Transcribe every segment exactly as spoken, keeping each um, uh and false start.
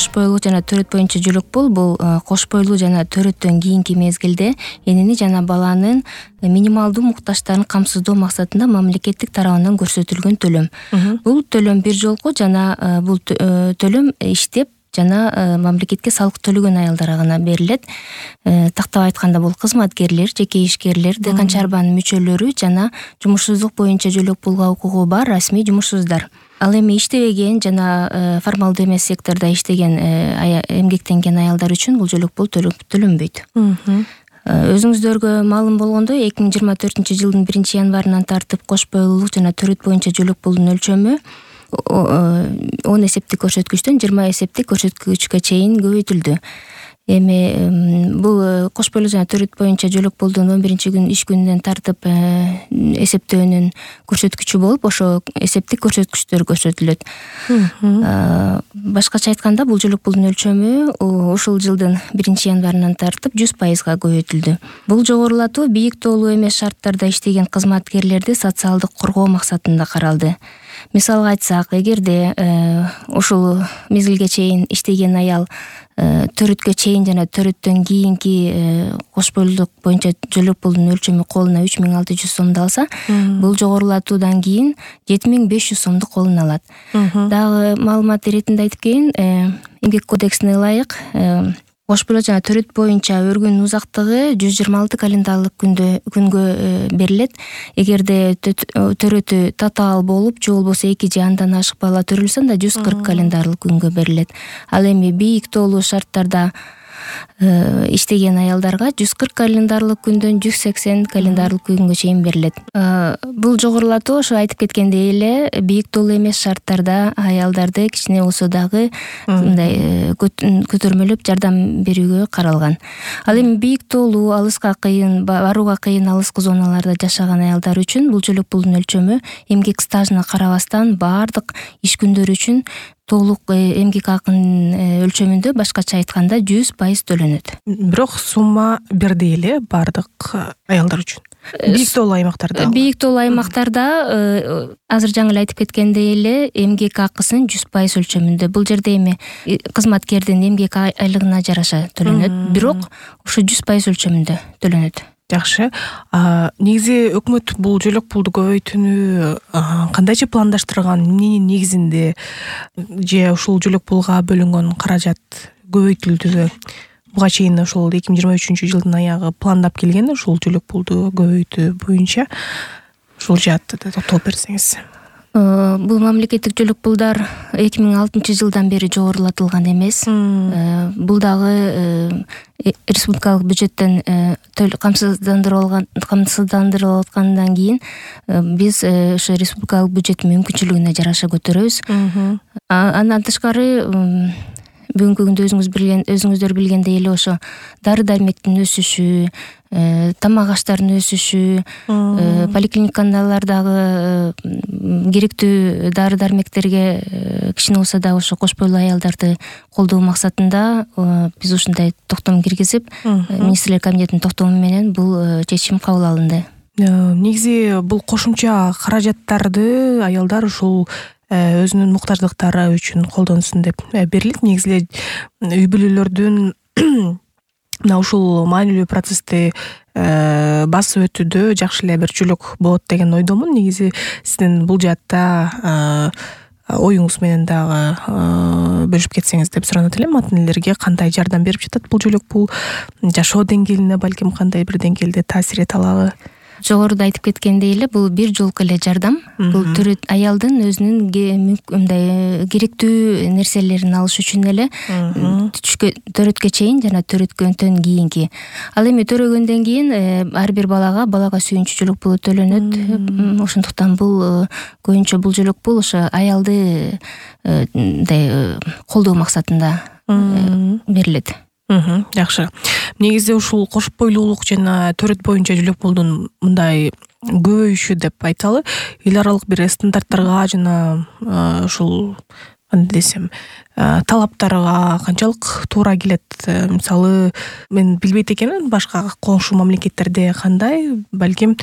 кош бойлуу жана төрөт боюнча жөлөк пул бул кош бойлуу жана төрөттөн кийинки мезгилде энени жана баланын минималдуу муктаждарын камсыздоо максатында мамлекеттик тарабынан көрсөтүлгөн төлөм. Бул төлөм бир жолку жана бул төлөм иштеп жана мамлекетке салык төлөгөн аялдарга гана берилет. Тактап айтканда бул кызматкерлер, жеке ишкерлер, дыйкан чарбанын мүчөлөрү жана жумушсуздук боюнча жөлөк пулга укугу бар расмий жумушсуздар. Ал эми иштебеген жана формалдуу эмес сектордо иштеген эмгектенген аялдар үчүн бул жөлөк пул төлөнбөйт. Өзүңүздөргө маалым болгондой эки миң жыйырма төртүнчү жылдын биринчи январынан тартып кош бойлуулук жана төрөт боюнча жөлөк пулдун өлчөмү он эсептик көрсөткүчтөн жыйырма эсептик көрсөткүчкө чейин көбөйтүлдү. Эми бул кош бойлуу жана төрөт боюнча жөлөк пулдун он биринчи күн иш күнүнөн тартып эсептөөнүн көрсөткүчү болуп, ошо эсептик көрсөткүчтөр көрсөтүлөт. Башкача айтканда бул жөлөк пулдун өлчөмү ушул жылдын биринчи январынан тартып жүз пайызга көбөйтүлдү. Бул жогорулатуу бийик тоолуу эмес шарттарда иштеген кызматкерлерди социалдык коргоо максатында каралды. Мисалга айтсак, эгерде ушул мезгилге чейин иштеген аял төрөткө чейин жана төрөттөн кийинки кош бойлуулук боюнча жөлөк пулдун өлчөмү колуна үч миң алты жүз сомду алса, бул жогорулатуудан кийин жети миң беш жүз сомду колуна алат. Дагы маалымат иретинде айтып кетейин, эмгек кодексине ылайык кош бойлуу жана төрөт боюнча өргүнүн узактыгы жүз жыйырма алты календарылык күнгө берилет. Эгерде төрөтү татаал болуп, же болбосо эки же андан ашык бала төрөлсө, анда жүз кырк календарылык күнгө берилет. Ал эми бийик тоолуу шарттарда иштеген аялдарга жүз кырк календарлык күндөн жүз сексен календарлык күнгө чейин берилет. Бул жогорулатуу ошо айтып кеткендей эле бийик тоолуу эмес шарттарда аялдарды кичине болсо дагы мындай көтөрмөлөп жардам берүүгө каралган. Ал эми бийик тоолуу, алыска кыйын, барууга кыйын алыскы зоналарда жашаган аялдар үчүн бул жөлөк пулдун өлчөмү эмгек стажына карабастан баардык иш күндөрү үчүн толук эмгек акынын өлчөмүндө, башкача айтканда жүз пайыз төлөнөт. Бирок сумма бирдей эле баардык аялдар үчүн. Бийик тоолуу аймактарда. Бийик тоолуу аймактарда азыр жаңы эле айтып кеткендей эле эмгек акысын жүз пайыз өлчөмүндө. Бул жерде эми кызматкердин эмгек айлыгына жараша төлөнөт, бирок ошо жүз пайыз өлчөмүндө төлөнөт. Жакшы. Негизи өкмөт бул жөлөк пулду көбөйтүүнү кандайча пландаштырган, эмненин негизинде, же ушул жөлөк пулга бөлүнгөн каражат көбөйтүлдүбү? Буга чейин ушул эки миң жыйырма үчүнчү жылдын аягы пландап келген ушул жөлөк пулду көбөйтүү боюнча ушул жаатта да токтолуп берсеңиз. Бул мамлекеттик жөлөк пулдар эки миң алтынчы жылдан бери жогорулатылган эмес. Бул дагы республикалык бюджеттен камсыздандырылган камсыздандырылып аткандан кийин биз ошо республикалык бюджеттин мүмкүнчүлүгүнө жараша көтөрөбүз. Андан тышкары бүгүнкү күндө өзүңүз билген өзүңүздөр билгендей эле ошо дары дармектин өсүшү, тамак аштардын өсүшү, поликлиникалардагы керектүү дары дармектерге кичине болсо да ошо кош бойлуу аялдарды колдоо максатында биз ушундай токтом киргизип, министрлер кабинетинин токтому менен бул чечим кабыл алынды. Негизи бул кошумча каражаттарды аялдар ушул өзүнүн муктаждыктары үчүн колдонсун деп берилет. Негизи эле үй бүлөлөрдүн мына ушул маанилүү процессти басып өтүүдө жакшы эле бир жөлөк болот деген ойдомун. Негизи сиздин бул жаатта оюңуз менен дагы бөлүшүп кетсеңиз деп суранат элем. Ата энелерге кандай жардам берип жатат бул жөлөк пул? Жашоо деңгээлине балким кандай бир деңгээлде таасир эте алабы? Жогоруда айтып кеткендей эле бул бир жолку эле жардам. Бул төрөт аялдын өзүнүн мындай керектүү нерселерин алыш үчүн эле төрөткө чейин жана төрөткөндөн кийинки. Ал эми төрөгөндөн кийин ар бир балага балага сүйүнчү жөлөк пулу төлөнөт. Ошондуктан бул көбүнчө бул жөлөк пул ошо аялды мындай колдоо максатында берилет. Жакшы. Негизи ушул кош бойлуулук жана төрөт боюнча жөлөк пулдун мындай көбөйүшү деп айталы, эл аралык бир стандарттарга жана ушул кандай десем, талаптарга канчалык туура келет? Мисалы, мен билбейт экенмин, башка коңшу мамлекеттерде кандай, балким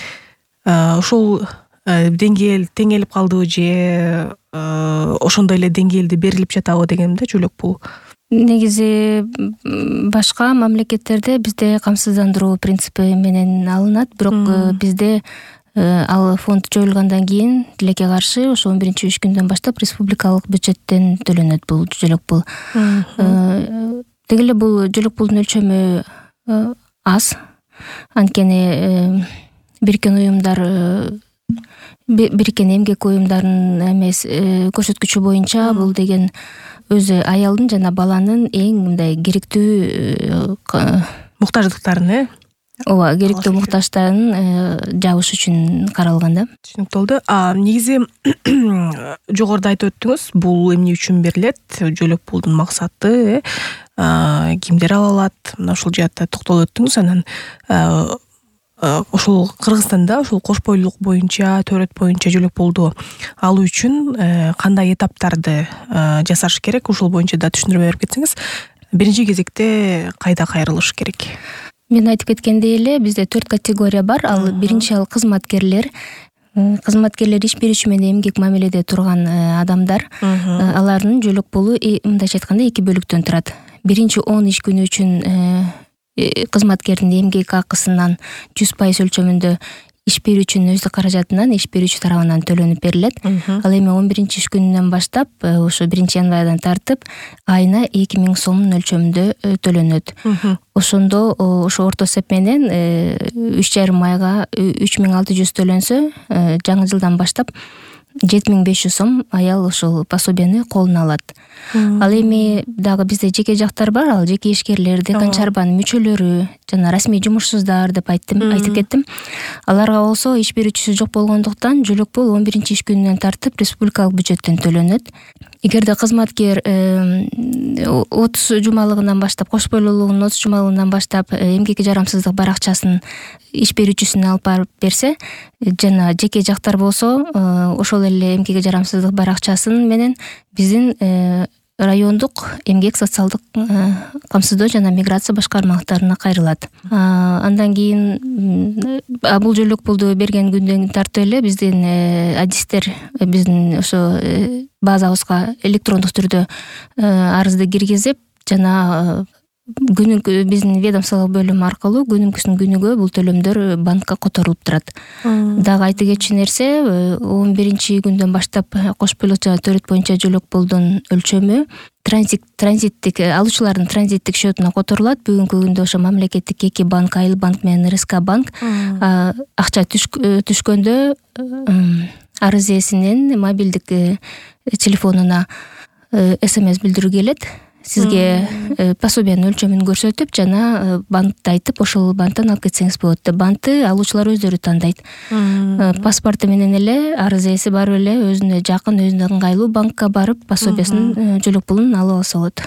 ушул деңгээл теңелип калдыбы же ошондой эле деңгээлде берилип жатабы дегенде жөлөк пул. негизи башка мамлекеттерде бизде камсыздандыруу принципи менен алынат, бирок бизде ал фонд жоюлгандан кийин тилекке каршы ошо он биринчи үч күндөн баштап республикалык бюджеттен төлөнөт бул жөлөк пул. Деги эле бул жөлөк пулдун өлчөмү аз, анткени бириккен уюмдар бириккен эмгек уюмдарынын эмес көрсөткүчү боюнча бул деген өзү аялдын жана баланын эң мындай керектүү муктаждыктарын э ооба керектүү муктаждыктарын жабыш үчүн каралган да. Түшүнүктүү болду. А негизи жогоруда айтып өттүңүз, бул эмне үчүн берилет, жөлөк пулдун максаты, кимдер ала алат, мына ушул жаатта токтолуп өттүңүз. Анан ошол Кыргызстанда ошол кош бойлуулук боюнча, төрөт боюнча жөлөк пулду алуу үчүн кандай этаптарды жасаш керек, ушул боюнча да түшүндүрмө берип кетсеңиз. Биринчи кезекте кайда кайрылыш керек? Мен айтып кеткендей эле, бизде төрт категория бар. Ал биринчи ал кызматкерлер. Кызматкерлер иш берүүчү менен эмгек мамиледе турган адамдар. Алардын жөлөк пулу мындайча айтканда эки бөлүктөн турат. Биринчи он иш күнү үчүн кызматкердин эмгек акысынан жүз пайыз өлчөмүндө иш берүүчүнүн өздүк каражатынан иш берүүчү тарабынан төлөнүп берилет. Ал эми он биринчи иш күнүнөн баштап ошо биринчи январдан тартып айына эки миң сомдун өлчөмүндө төлөнөт. Ошондо ошо орто эсеп менен үч жарым айга үч миң алты жүз төлөнсө, жаңы жылдан баштап жети миң беш жүз сом аял ошол пособияны колуна алат. Ал эми дагы бизде жеке жактар бар, ал жеке ишкерлер, декан чарбанын мүчөлөрү жана расмий жумушсуздар деп айттым, айтып кеттим. Аларга болсо иш берүүчүсү жок болгондуктан жөлөк пул он биринчи иш күнүнөн тартып республикалык бюджеттен төлөнөт. Эгерде кызматкер отуз жумалыгынан баштап, кош бойлуулугунун отуз жумалыгынан баштап эмгекке жарамсыздык баракчасын иш берүүчүсүнө алып барып берсе, жана жеке жактар болсо ошол эле эмгекке жарамсыздык баракчасын менен биздин райондук эмгек социалдык камсыздоо жана миграция башкармалыктарына кайрылат. Андан кийин бул жөлөк пулду берген күндөн тартып эле биздин адистер биздин ошо базабызга электрондук түрдө арызды киргизип жана күнүмкү биздин ведомстволук бөлүм аркылуу күнүмкүсүн күнүгө бул төлөмдөр банкка которулуп турат. Дагы айта кетчү нерсе, он биринчи күндөн баштап кош бойлуулук жана төрөт боюнча жөлөк пулдун өлчөмү транзит транзиттик алуучулардын транзиттик счетуна которулат. Бүгүнкү күндө ошо мамлекеттик эки банк, Айыл банк менен эр эс ка банк акча түшкөндө арыз ээсинин мобилдик телефонуна эс эм эс билдирүү келет. Сизге пособиянын өлчөмүн көрсөтүп жана банкты айтып, ошол банктан алып кетсеңиз болот деп. Банкты алуучулар өздөрү тандайт. Паспорту менен эле арыз ээси барып эле өзүнө жакын, өзүнө ыңгайлуу банкка барып пособиясын, жөлөк пулун алып алса болот.